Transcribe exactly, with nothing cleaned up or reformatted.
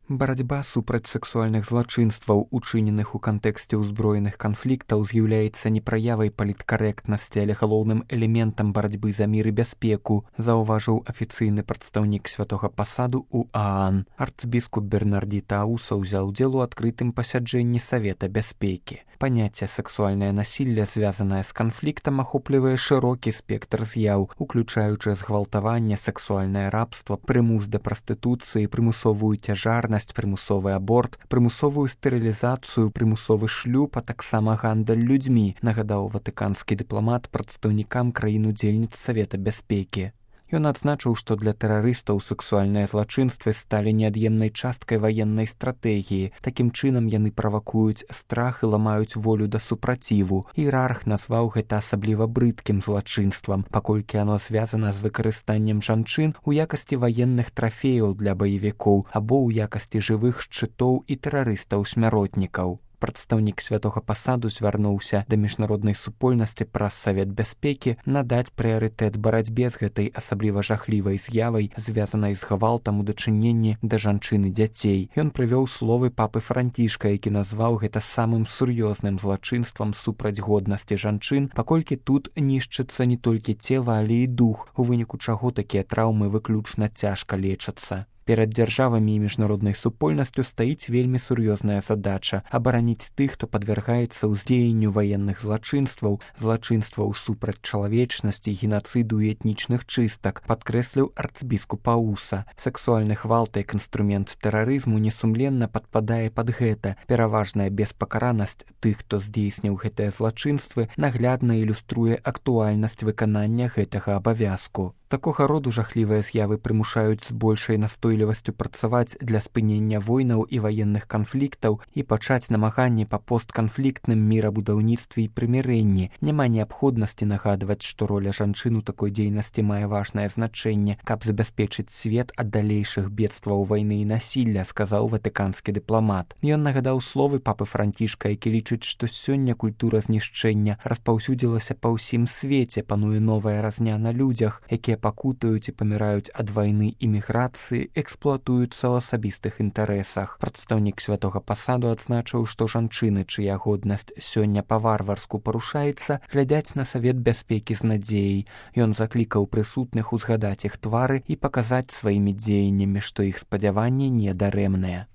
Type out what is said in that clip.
Барацьба супраць сексуальных злачынстваў, учыненых у кантэксце ўзброеных канфліктаў, з'яўляецца не праявай паліткарэктнасці, але галоўным элементам барацьбы за мір і бяспеку, заўважыў афіцыйны прадстаўнік святога пасаду ў ААН. Арцбіскуп Бернардзі Тауса ўзяў удзел у адкрытым пасяджэнні Савета бяспекі. Паняцце сексуальнае насілле, звязанае з канфліктам, ахоплівае шырокі спектр з'яў, уключаючы згвалтаванне, сексуальнае рабства, прымус да прастытуцыі, прымусовую цяжарнасць, прымусовы аборт, прымусовую стэрылізацыю, прымусовы шлюб, а таксама гандаль людзьмі, нагадаў ватыканскі дыпламат прадстаўнікам краін-удзельніц Савета бяспекі. Ён адзначыў, што для тэрарыстаў сексуальныя злачынствы сталі неад'емнай часткай ваеннай стратэгіі. Такім чынам яны правакуюць страх і ламаюць волю да супраціву. Іерарх назваў гэта асабліва брыдкім злачынствам, паколькі яно звязана з выкарыстаннем жанчын у якасці ваенных трафеяў для баевікоў або ў якасці жывых шчытоў і тэрарыстаў-смяротнікаў. Прадстаўнік святога пасаду звярнуўся да міжнароднай супольнасці праз Савет бяспекі надаць прыярытэт барацьбе з гэтай асабліва жахлівай з'явай, звязанай з гвалтам у дачыненні да жанчын і дзяцей. Ён прывёў словы папы Францішка, які назваў гэта самым сур'ёзным злачынствам супраць годнасці жанчын, паколькі тут нішчыцца не толькі цела, але і дух, у выніку чаго такія траўмы выключна цяжка лечацца. Перад дзяржавамі і міжнароднай супольнасцю стаіць вельмі сур'ёзная задача абараніць тых, хто падвяргаецца ўздзеянню ваенных злачынстваў, злачынстваў супраць чалавечнасці, генацыду і этнічных чыстак, падкрэсліў арцбіскуп Ауса. Сексуальны гвалт як інструмент тэрарызму несумленна падпадае пад гэта. Пераважная беспакаранасць тых, хто здзейсніў гэтыя злачынствы, наглядна ілюструе актуальнасць выканання гэтага абавязку. Такога роду жахлівыя з'явы прымушаюць з большай настойлівасцю працаваць для спынення войнаў і ваенных канфліктаў і пачаць намаганні па постканфліктным мірабудаўніцтве і прымірэнні. Няма неабходнасці нагадваць, што роля жанчын у такой дзейнасці мае важнае значэнне, каб забяспечыць свет ад далейшых бедстваў вайны і насілля, сказаў ватыканскі дыпламат. Ён нагадаў словы папы Францішка, які лічыць, што сёння культура знішчэння распаўсюдзілася па ўсім свеце, пануе новая разня на людзях, якія пакутаюць і паміраюць ад вайны і міграцыі, эксплуатуюцца ў асабістых інтарэсах. Прадстаўнік святога пасаду адзначыў, што жанчыны, чыя годнасць сёння па-варварску парушаецца, глядзяць на Савет бяспекі з надзеяй. Ён заклікаў прысутных узгадаць іх твары і паказаць сваімі дзеяннямі, што іх спадзяванні не дарэмныя.